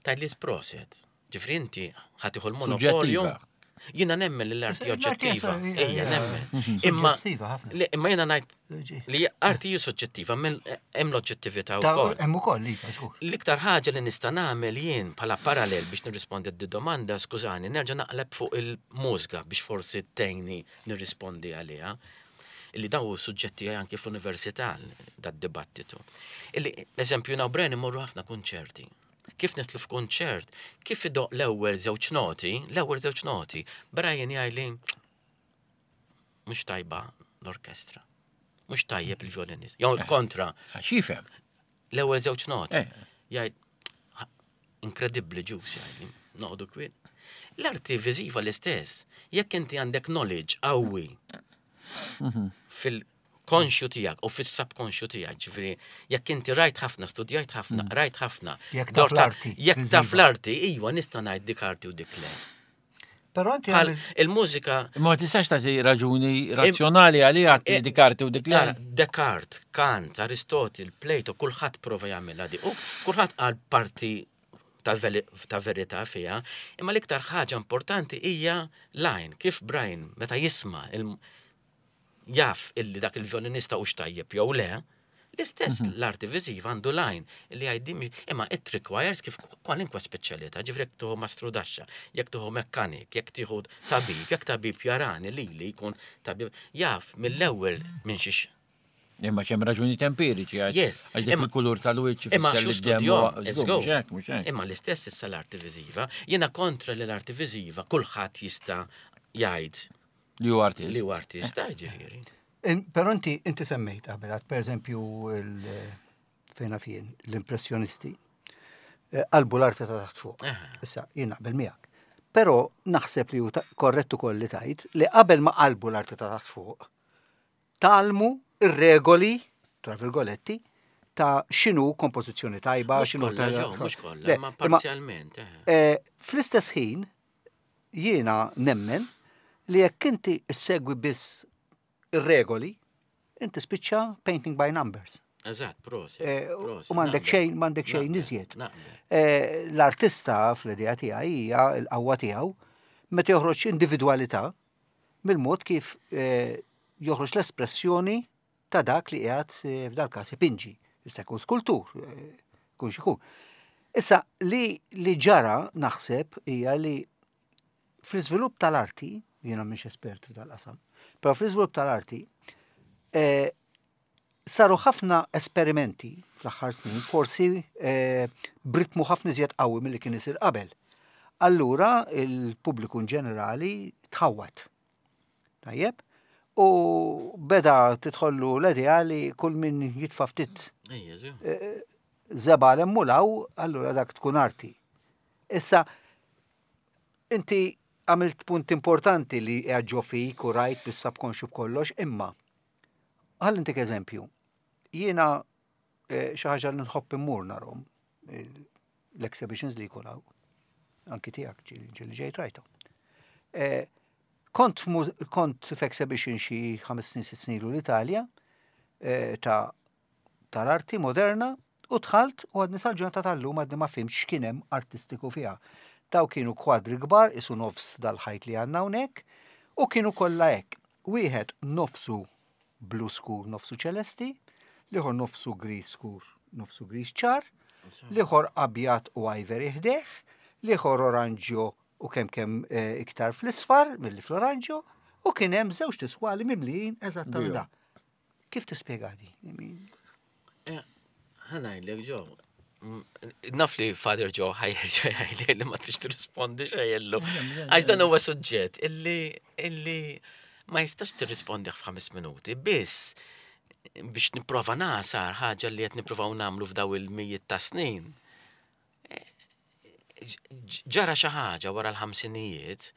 Tgħidli proset. Ġifri inti ħa tieħu l-monopolju. Jiena nemmen li l-arti oġġettiva. Ejja, nemmen. Mhm. Imma imma jiena ngħid li arti hi soġġettiva, hemm l-oġġettività wkoll. Hemm ukoll iva, żgur. L-iktar ħaġa li nista' nagħmel jien bħala parallel biex nirrispondi d domanda, skużani, nerġa' naqleb fuq il-mużika biex forsi tgħinni nirrispondi għaliha illi daw suġġetti anki fl-università dad-dibattitu. Illi, eżempju, naw Bren imorru ħafna kunċerti. Kif nidħlu f'kunċert, kif idoqq l-ewwel żewġ noti, l-ewwel żewġ noti, Brian jgħidli mhux tajba l-orkestra. Mhux tajjeb il-violinist. Jew eh. kontra. X'jifhem? L-ewwel żewġ noti. Eh. Jgħid inkredibbli ġus jgħid, noqogħdu kwiet. L-arti viżiva l-istess. Jekk inti għandek knowledge qawwi mhm. fil-konxju tiegħek u fis-subkonxju tiegħek, ġifieri jekk inti rajt ħafna, studjajt ħafna, mm. rajt ħafna. Jekk taf l-arti. Jekk taf l-arti, iva nista' ngħid dik arti u dik le. Però inti Bħal il-mużika. Ma tistax tagħti raġuni razzjonali għaliha eh, dik arti u dik le. Descartes, Kant, Aristotle, Plato, kulħadd prova jagħmilha di. U kulħadd qal parti ta' verità fiha, imma l-iktar ħaġa importanti hija l-għajn, kif Brian meta jisma' jaf illi dak il-vjolinista hux tajjeb jew le, l-istess mhm. l-arti viżiva għandu l-għajn li għajdim, imma it requires kif kwalinkwa speċjalità, ġifri jekk tuħu mastrudaxxa, jekk tuħu mekkanik, jekk tieħu tabib, jekk tabib jarani li li jkun tabib, jaf mill-ewwel minn xiex Imma ċem raġuni empiriċi, għax dik il-kulur tal-wiċċ Imma xu Imma l-istess issa l-arti viżiva, jiena kontra li l-arti viżiva kulħadd jista' jgħid Li hu artist. Li hu artist, eh, ġifieri. Però inti inti semmejt qabel, per eżempju fejna fien l-impressjonisti eh, qalbu l-arti ta' taħt fuq. Issa, jien naqbel miegħek. Però naħseb li hu korrettu ukoll li tajt li qabel ma qalbu l-arti ta' taħt fuq, talmu ir-regoli, tra virgoletti, ta' xinu kompożizzjoni tajba, xinu ta' Mhux kollha, ma parzjalment. Eh. Fl-istess ħin, Jiena nemmen li jekk inti ssegwi biss ir-regoli, inti spiċċa painting by numbers. Eżatt, prosit. Eh, u m'għandek xejn, m'għandek xejn iżjed. Eh, l-artista fl-idea tiegħi hija l-qawwa tiegħu meta joħroġ individwalità mill-mod kif eh, joħroġ l-espressjoni ta' dak li qiegħed eh, f'dal-każ ipinġi. Jista' jkun skultur, eh, kun xikun. Issa li li ġara naħseb hija li fl-iżvilupp tal-arti, jiena mhix espert f'dal-qasam, però fl-iżvilupp tal-arti eh, saru ħafna esperimenti fl-aħħar snin, forsi eh, b'ritmu ħafna iżjed qawwi milli kien isir qabel. Allura il-pubbliku in ġenerali tħawwad. Tajjeb? U beda tidħollu l-idea li kull min jitfa' ftit eh, zeba l-emmulaw, allura dak tkun arti. Issa, inti għamilt punt importanti li ġo fik u rajt bis-subconscious b'kollox, imma ħalli ntik eżempju. Jiena eh, xi ħaġa li nħobb immur narhom eh, l-exhibitions li jkun hawn. Anki tiegħek ġieli ġejt rajthom. Eh, kont kont f'exhibition xi ħames snin sitt snin l-Italja eh, ta' tal-arti moderna u dħalt u għadni sal-ġurnata tal-lum għadni ma fimx x'kien hemm artistiku fiha. Daw kienu kwadri kbar isu nofs dal-ħajt li għandna hawnhekk u kienu kollha hekk. Wieħed nofsu blu skur nofsu ċelesti, l-ieħor nofsu gris skur nofsu gris ċar, l-ieħor abjad u ivory ħdejh, l-ieħor oranġjo u kemm kemm eh, iktar fl-isfar milli fl-oranġjo, u kien hemm żewġ tiswali mimlijin eżattament da. Kif tispjega di? Eh, ħa ngħidlek Joe, naf li Father Joe ħajjerġa' jgħidli li ma tix tirrispondi xejn Għax dan huwa suġġett illi illi ma jistax tirrispondi f'ħames minuti, biss biex nipprova nasar ħaġa li qed nippruvaw nagħmlu f'daw il-mijiet ta' snin. Ġara xi ħaġa wara l-ħamsinijiet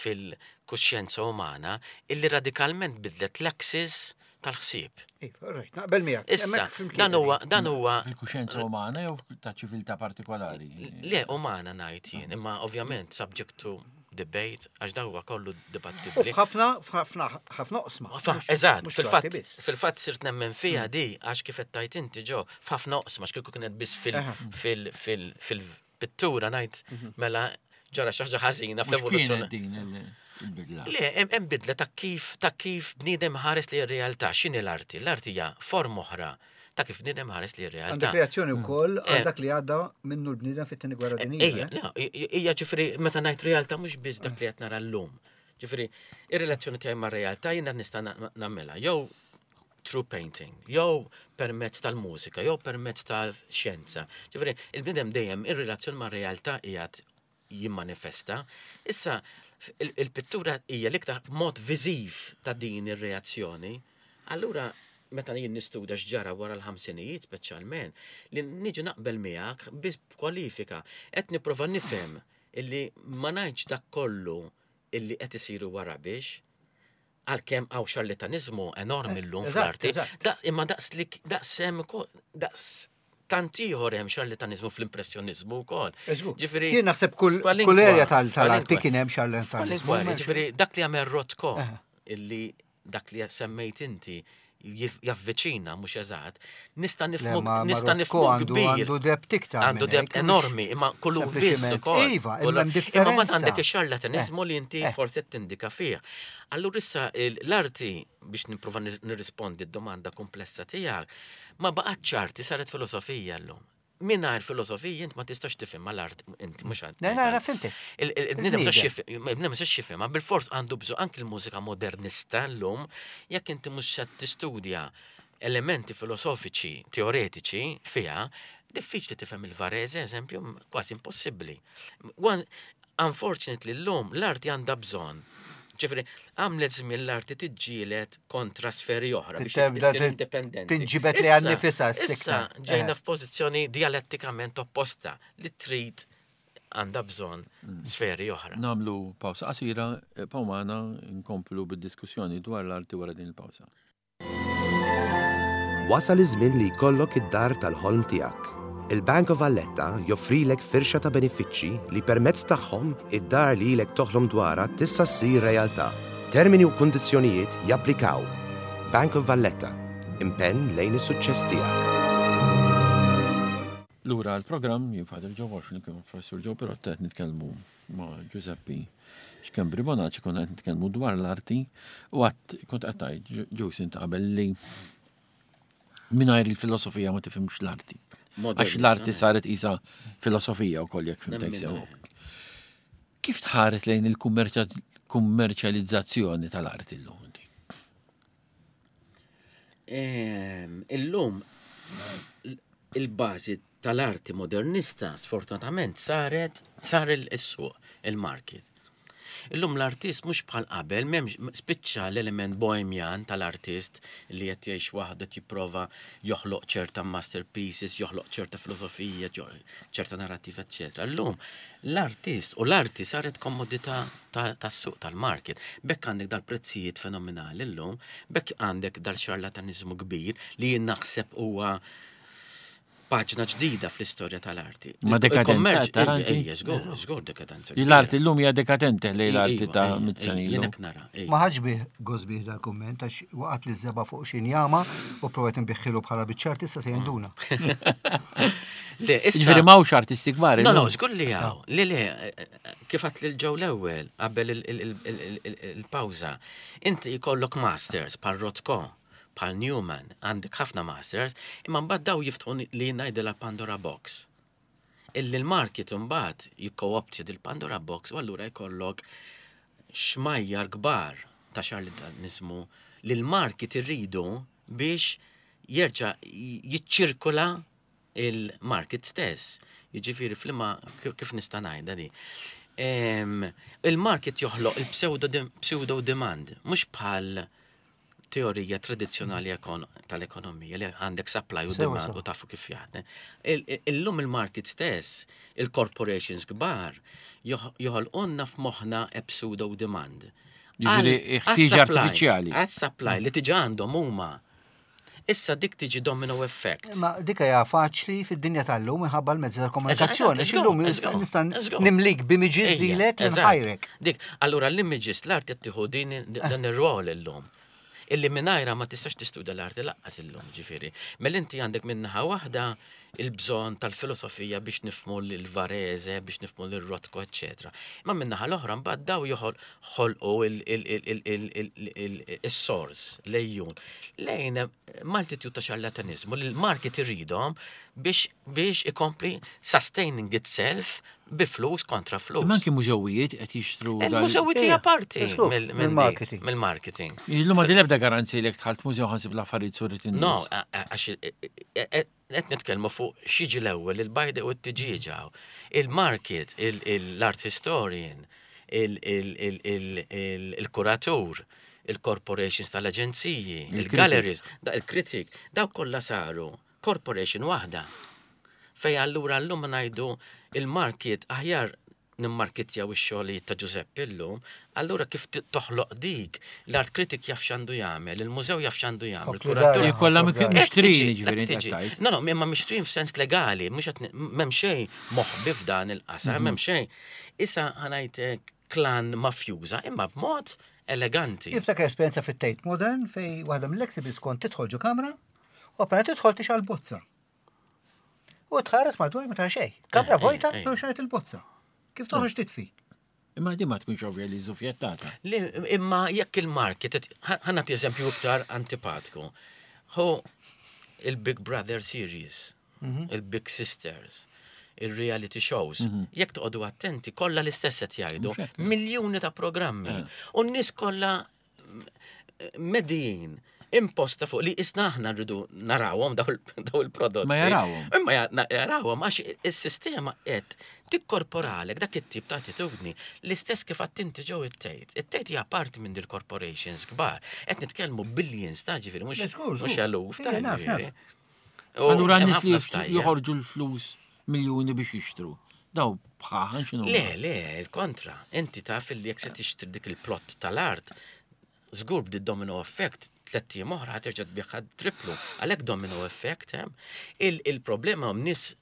fil-kuxjenza umana illi radikalment bidlet l-axis tal-ħsieb. Iva, rajt, naqbel miegħek. Issa, dan huwa dan huwa Il-kuxjenza umana jew ta' ċiviltà partikolari? Le, umana ngħid jien, imma ovvjament subject to debate, għax dan huwa kollu dibattibbli. F'ħafna, f'ħafna, ħafna oqsma. Eżatt, fil-fatt, fil-fatt sirt nemmen fiha mm. di, għax kif qed tajt inti ġo, f'ħafna oqsma, għax kieku kienet biss fil fil fil fil pittura ngħid mhm. mela ġara xi ħaġa ħażina fl-evoluzzjoni. din il-bidla? Le, hemm bidla ta' kif ta' kif bniedem ħares li r-realtà, x'inhi l-arti? L-arti hija forma oħra ta' kif bniedem ħares li r-realtà. Għandek reazzjoni wkoll għal eh. dak li għadda minnu l-bniedem fit-tieni gwerra eh, dinjija. Eh? Ejja, ġifieri meta ngħid realtà mhux biss dak li qed nara llum. Ġifieri, ir-relazzjoni tiegħi mar-realtà jiena nista' nagħmilha jew through painting, jew permezz tal-mużika, jew permezz tal-xjenza. Ġifieri, il-bniedem dejjem ir-relazzjoni mar-realtà qiegħed jimmanifesta. Issa, il-pittura hija l-iktar mod viżiv ta' din ir-reazzjoni. Allura, meta jien nistudja x'ġara wara l-ħamsinijiet speċjalment, li niġi naqbel miegħek biss b'kwalifika. Qed nipprova nifhem illi ma ngħidx dak kollu illi qed isiru wara biex għalkemm hawn xarlataniżmu enormi llum fl-arti, imma daqs li daqs hemm daqs tant ieħor hemm xarlataniżmu fl-impressjoniżmu wkoll. Ġifieri jien naħseb kull kull erja tal-arti kien hemm xarlataniżmu. Ġifieri dak li għamel Rothko illi dak li semmejt inti javviċina mhux eżatt, nista' nifhmu nista' nifhmu kbir. Għandu debt iktar. Għandu debt enormi, imma kullu biss ukoll. Iva, imma hemm differenza. Imma mbagħad għandek ix-xarlataniżmu li inti forsi qed tindika fih. Allura issa l-arti biex nipprova nirrispondi d-domanda komplessa tiegħek, ma baqgħetx arti saret filosofija llum. Mingħajr filosofija int ma tistax tifhimha l-art inti mhux għand. Le, le, fimtek. Il-bniedem ma jistax jifhimha, bilfors għandu bżonn anki l-mużika modernista llum, jekk inti mhux se tistudja elementi filosofiċi, teoretiċi fiha, diffiċli tifhem il-Varese, eżempju, kważi impossibbli. Unfortunately llum l-arti għandha bżonn. Ġifieri, għamlet żmien l-arti tiġġieled kontra sferi oħra biex issir indipendenti. Tinġibed li għan nifisha Issa ġejna eh. f'pożizzjoni dialettikament opposta li trid għandha bżonn mm. sferi oħra. Namlu pawsa qasira, eh, pawmana nkomplu bid-diskussjoni dwar l-arti wara din il-pawsa. Wasal iż-żmien li jkollok id-dar tal-ħolm tiegħek. Il-Bank of Valletta joffrilek firxa ta' benefiċċji li permezz tagħhom id-dar li ilek toħlom dwarha tista' ssir realtà. Termini u kundizzjonijiet japplikaw. Bank of Valletta, impenn lejn is-suċċess tiegħek. Lura għall-programm, jien Father Joe Walsh flimkien mal-Professur Joe Pirotta qed nitkellmu ma' Giuseppe Schembri Bonaci konna qed nitkellmu dwar l-arti u għat kont qed tgħid Joe int qabel li mingħajr il-filosofija ma tifhimx l-arti. Għax l-arti saret isa filosofija wkoll jekk fimtek sew. Kif tħares lejn il-kummerċjalizzazzjoni tal-arti llum inti? Ehm, illum il-bażi tal-arti modernista sfortunatament saret sar il-suq, il-market. Illum l-artist mhux bħal qabel, m'hemmx spiċċa l-element bohemian tal-artist li qed jgħix waħdu qed jipprova joħloq ċerta masterpieces, joħloq ċerta filosofija, ċerta narrativa, eċċetera. Illum l-artist u l-arti saret komodità tas-suq tal-market. B'hekk għandek dal-prezzijiet fenomenali llum, b'hekk għandek dal-xarlataniżmu kbir li jien naħseb huwa paġna ġdida fl-istorja tal-arti. Ma dekadenza tal-arti? Ejja, żgur, żgur dekadenza. L-arti llum hija dekadente li l-arti ta' mit-sena ilu. Jien hekk nara. Ma ħadx bih gost bih dal-kumment għax waqgħet li żeba fuq xi njama u provajt nbiħħilu bħala biċċa artista se jinduna. Le, issa. Ġifieri m'hawnx artisti kbar. No, no, żgur li hawn. Le, le, kif għadt lil ġew l-ewwel qabel il-pawża. Inti jkollok masters bħal Rothko, bħal Newman, għandek ħafna masters, imma mbagħad daw jiftħu li ngħidilha Pandora box. Illi l-market imbagħad jikkooptja dil-Pandora box u allura jkollok xmajjar kbar ta' xarlataniżmu li l-market irridu biex jerġa' jiċċirkola il-market stess. Jiġifieri f'liema kif nista' ngħidha di. Il-market joħloq il-pseudo demand, mhux bħal teorija tradizzjonali tal-ekonomija li għandek supply u demand u tafu kif jaħdem. Illum il-market stess, il-corporations kbar, joħolqunna f'moħħna a pseudo demand. Jiġifieri ħtieġa artifiċjali. Għas-supply li tiġa għandhom huma. Issa dik tiġi domino effect. Ma dik hija faċli fid-dinja tal-lum minħabba l-mezzi tal-komunikazzjoni. Għax illum nista' nimlik b'images lilek li nħajrek. Dik, allura l-images l-arti qed tieħu din dan ir-rol illum. Illi mingħajrha ma tistax tistudja l-arti laqqas illum, ġifieri. Mela inti għandek minn naħa waħda il-bżonn tal-filosofija biex nifhmu lil Varese, biex nifhmu lil Rothko, eċċetera. Imma minn naħa l-oħra mbagħad daw joħolqu is-sors, l-għejjun, lejn multitude ta' xarlataniżmu li l-market iridhom biex biex ikompli sustaining itself bi flus kontra flus. Imma anki mużewijiet qed jixtru. Il-mużewijiet hija parti mill-marketing. Mill-marketing. Illum għandi l-ebda garanzija li jekk dħalt mużew ħansib l-affarijiet surit in-nies. No, għax qed nitkellmu fuq x'jiġi l-ewwel il-bajda u t-tiġieġa. Il-market, l-art historian, il-kuratur, il-corporations tal-aġenziji, il-galleries, il-kritik, daw kollha saru corporation waħda. Fej allura llum ngħidu il-market aħjar nimmarkitjaw ix-xogħlijiet ta' Ġużeppi llum, allura kif toħloq dik, l-art critic jaf x'għandu jagħmel, il-mużew jaf x'għandu jagħmel, il-kuratur. Kollha mixtrin jiġifieri tgħid. No, no, imma mixtrin f'sens legali, mhux qed m'hemm xejn moħbi f'dan il-qasam, m'hemm xejn. Issa ħa ngħid klan mafjuża, imma b'mod eleganti. Niftakar esperjenza fit-Tate Modern fej waħda mill-exhibits kont tidħol ġo kamra u appena tidħol tixgħal bozza. U tħares madwar ma tara xejn. Kamra eh, vojta, eh, eh. xaret il-bozza. Kif toħroġ titfi? Imma di ma tkunx ovvja li żufjettata. Imma jekk il-market, ħanna eżempju iktar antipatku. Hu il-Big Brother series, mhm. il-Big Sisters, il-reality shows. Mhm. Jekk toqgħodu attenti, kollha l-istess qed jgħidu, miljuni ta' programmi. U n-nies kollha medijin imposta fuq li isna aħna rridu narawhom daw il-prodotti. Ma jarawhom. Imma jarawhom għax is-sistema qed tikkorporalek dak it-tip ta' attitudni l-istess kif għattinti ġew it-tejt. It-tejt hija parti minn dil-corporations kbar. Qed nitkellmu billions ta' ġifieri mhux mhux eluf ta' ġifieri. Allura nies li joħorġu l-flus miljuni biex jixtru. Daw bħaħan x'inhu. Le, le, il-kontra. Inti taf li jekk se tixtri dik il-plott tal-art, żgur bdi domino effect, tlett ijiem oħra ħaterġa' tbigħha triplu. Għalhekk domino effect hemm. Il-problema hemm nies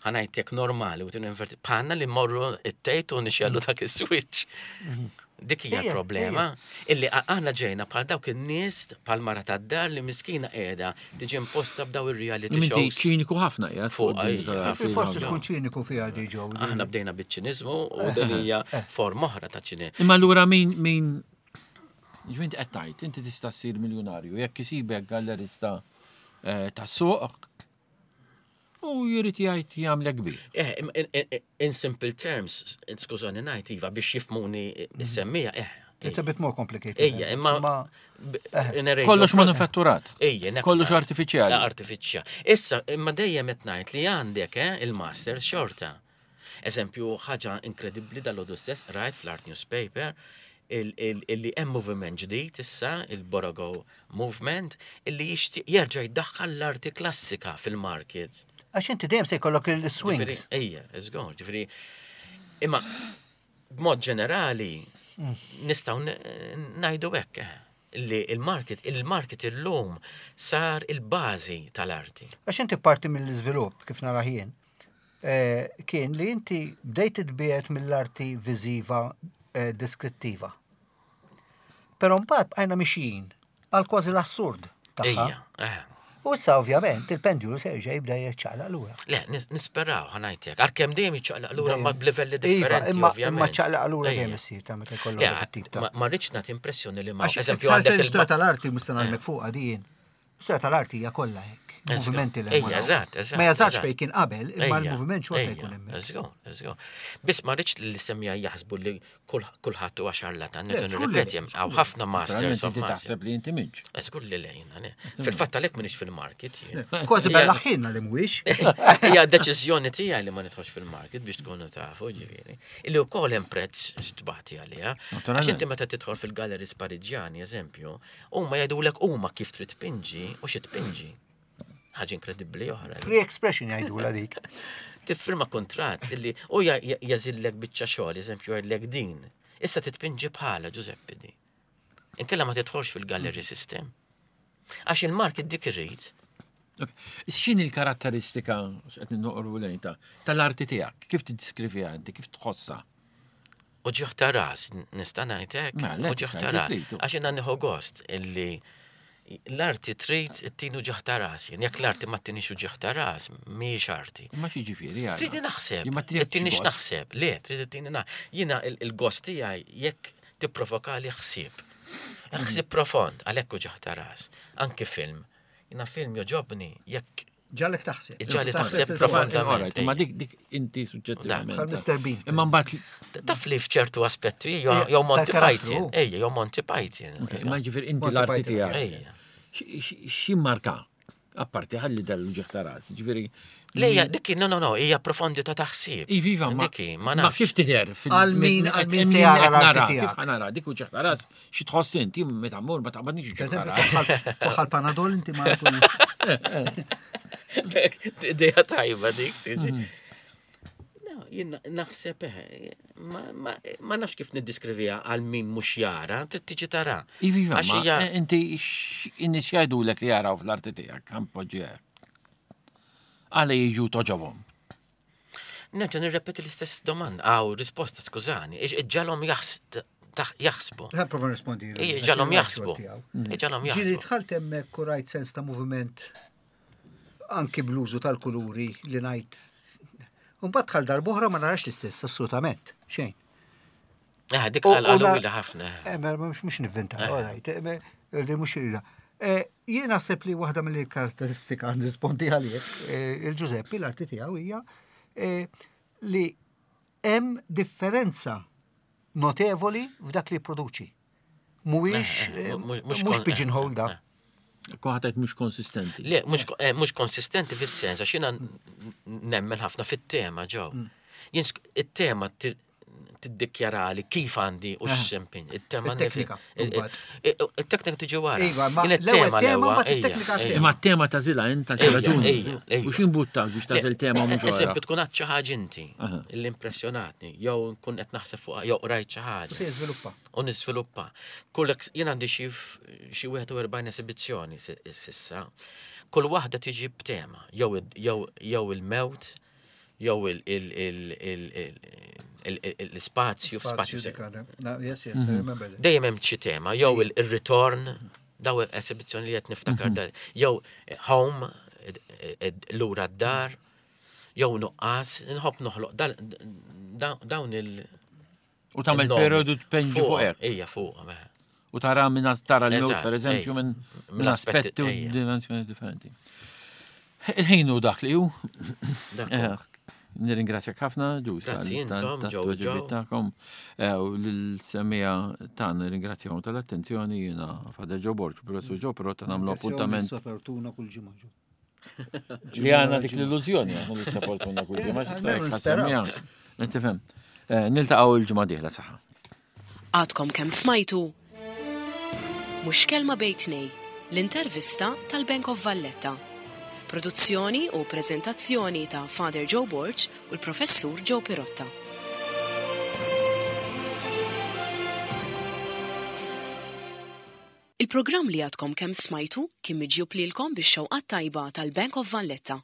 ħanajtek normali u tinverti bħalna li morru it-tejt u nixellu dak is-switch. Mhm. Dik hija l-problema. Illi aħna ġejna bħal dawk in-nies bħal mara tad-dar li miskina qiegħda tiġi imposta b'daw ir-reality shows. Inti ċiniku ħafna qiegħed fuq. Forsi tkun ċiniku fiha di ġew. Aħna bdejna biċ-ċiniżmu u din hija eh. forma oħra ta' ċiniżmu. Imma allura min min ġvint qed tgħid, inti tista' ssir miljunarju jekk isibek gallerista eh, ta' suq U jrid jgħid jagħmlek kbir. Eh, in simple terms, skużani ngħid iva biex jifmuni s-semmija, eh. It's a bit more complicated. Ejja, imma. Eh. Kollox manufatturat. Ejja, Kollox artifiċjali. Artifiċjali. Issa, imma dejjem qed ngħid li għandek eh, il-masters xorta. Eżempju, ħaġa inkredibbli dal-għodu stess rajt fl-Art Newspaper illi hemm moviment ġdid issa, il-Borogo Movement, illi jixtieq jerġa' jdaħħal l-arti klassika fil-market. Għax inti dejjem se jkollok il-swings. Ejja, żgur, ġifieri. Imma b'mod ġenerali mm. nistgħu ngħidu hekk eh, li il-market, il-market illum sar il-bażi tal-arti. Għax inti parti mill-iżvilupp kif nara jien. Eh, kien li inti bdejt titbiegħed mill-arti viżiva eh, deskrittiva. Però mbagħad bqajna mixjin għal kważi l-assurd tagħha. Eh. U issa ovvjament il-pendulu se jerġa' jibda jiċċaqlaq lura. Le, nisperaw ħanajtek. Għalkemm dejjem jiċċaqlaq lura ma b'livelli iva, differenti. Imma imma ċaqlaq lura dejjem issir ta' meta jkollok tip ta' Ma rridx nagħti impressjoni li ma. Eżempju għandek l-istorja tal-arti mista nagħmek fuqha din. Is-sena tal-arti hija kollha hekk. Movimenti li Ejja, eżatt, eżatt. Ma jażax fejn kien qabel, imma l-moviment xorta jkun hemmhekk. Eżgur, eżgur. Biss ma rridx li semmija jaħsbu li kulħadd huwa xarlatan, nerġa' nirrepeti hemm hawn ħafna masters of masters. Taħseb li inti minx. Żgur li lejna, le. Fil-fatt għalhekk m'iniex fil-market. Kważi bella ħinna li mhuwiex. Hija deċiżjoni tiegħi li ma nidħolx fil-market biex tkunu tafu, ġifieri. Illi wkoll hemm prezz tbati għaliha. Għax inti meta tidħol fil-galleries Pariġjani, eżempju, Huma jgħidulek huma kif trid tpinġi u xi tpinġi. Ħaġa inkredibbli oħra. Free expression jgħidula dik. Tiffirma kontratt illi u jażillek biċċa xogħol, eżempju jgħidlek din. Issa titpinġi bħala Ġużeppi di. Inkella ma tidħolx fil-gallery system. Għax il-market dik irrid. X'inhi l-karatteristika x'qed noqorbu lejn ta' tal-arti tiegħek? Kif tiddiskriviha inti, kif tħossha? Uġigħ ta' ras, nista' ngħid hekk? Mela, Uġigħ ta' ras. Għax jiena nieħu gost illi l-arti trid ittini uġigħ ta' ras. Jien jekk l-arti ma ttinix uġigħ ta' ras, mhijiex arti. Imma x'jiġifieri għala? Tridni naħseb. Ttinix naħseb. Le, trid ittini naħseb. Jiena il-gost tiegħi jekk tipprovokali ħsieb. Ħsieb profond, għalhekk uġigħ ta' ras. Anki film. Jiena film joġobni jekk Ġalek taħseb. Ġalek taħseb profondament. Ma dik dik inti suġġettivament. Bħal Mr. Bean. Imma mbagħad. Taf li f'ċertu aspetti jew Monty Python. Ejja, jew Monty Python. Ma ġifier inti l-arti tiegħek. Xi marka? Apparti ħalli dal-uġigħ ta' ras, ġifieri. Lejja, dik no, no, no, hija profondità ta' ħsieb. Iva, ma Dik ma ma nafx. kif tidher fil- Għal min- qed- għal min se jara qed l-arti nara, tiegħek. Kif ħanara, dik uġigħ ta' ras, xi tħoss inti meta mmur ma taqbadniex Per uġigħ ta' eżempju, ras. twaħħal panadol inti ma jkun. Ideja tajba dik tiġi. No, jien naħseb eh, ma- ma ma nafx kif niddiskrivija għal min mhux jara, trid tiġi tara. Iva, iva, Għax ma hija- inti in-nies jgħidulek li jaraw fl-arti tiegħek, ħa npoġġi hekk. Għala jiġu toġobhom. Nerġa' nirrepeti l-istess domanda, aw risposta, skużani, iġġagħalhom jaħsbu. Ħa prova nirrispondi. Ija, iġagħalhom jaħsbu. Iġagħalhom Ġieli jaħsbu. dħalt hemmhekk u rajt sens ta' moviment anki bl-użu tal-kuluri li ngħid. Mbagħad dħal darb'oħra ma narax l-istess, assolutament. Xejn. Eh, dik U- u għal na- ila ħafna. Eh, ma mhux mhux nivvinta, all right, eh, me- li mhux ila. Eh, Jien naħseb li waħda mill-karatteristika nirrispondi għalik, eh, il-Ġużeppi l-arti tiegħu hija eh, li hemm differenza notevoli f'dak li jipproduċi. Mhuwiex Eh, eh, eh, mhux- mhux mhux kon- pigeonhole da. eh, Kuħatajt mhux konsistenti. Le, mhux eh, mhux konsistenti fis-sens, għax jiena nemmen ħafna fit-tema ġew. Jien sk- it-tema ti- tiddikjarali kif għandi u x'sempin. Il-tema Il-teknika, mbagħad. Il-teknika tiġi wara. Iva, ma Jien l-ewwel it-tema tema, l-ewwel, mbagħad ejja, it-teknika ejja. tema. Imma t-tema tagħżilha int għal xi Ejja, raġuni. ejja, ejja. U x'imbuttak biex tagħżel tema mhux oħra. Eżempju, tkun għad xi ħaġa inti Aha. li impressjonatni, jew nkun qed naħseb fuqha, jew qrajt xi U ħaġa. se jiżviluppa. U niżviluppa. Kull ex- jien għandi xi f- xi 41 esibizzjoni si- sissa. Kull waħda tiġi b'tema, jew id- jew jew il-mewt, jew il- il- il- il- il- il- il- l-ispazju, Spazju spazju. dik għadha. Na, Yes, yes, I remember that. Dejjem hemm xi tema, jew il- ir-ritorn, daw esibizzjoni li qed niftakar da, jew home, id- id- lura d-dar, jew nuqqas, nħobb noħloq dal- da- dawn il- U tagħmel il-nomi. periodu tpenġi fuq hekk. Ija, fuq. mela. U tara minn tara l-mewt, Eżatt, per eżempju, ejja. minn Minn minn aspetti, aspetti u ejja. dimensjoni differenti. Il-ħin hu dak li hu. Dak Eh, Nirringrazzjak ħafna, ġus. Grazzi intom, ġew ġew. Tagħkom u l-semmiegħa tagħna nirringrazzjahom tal-attenzjoni jiena Father Joe Borg, Professur Joe Però ta' nagħmlu appuntament Sapportuna kull ġimgħa ġo. li għandna dik l-illużjoni, għandna li sapportuna kull ġimgħa, Eh, x'issa jekk almenu ħassemmiha. Inti Eh, Niltaqgħu il-ġimgħa dieħla saħħa. Għadkom kemm smajtu Mhux kelma bejn tnejn, l-intervista tal-Bank of Valletta. Produzzjoni u prezentazzjoni ta' Father Joe Borg u l-Professur Joe Pirotta. Il-programm li għadkom kemm smajtu kien miġjub lilkom bix-xewqat tajba tal-Bank of Valletta.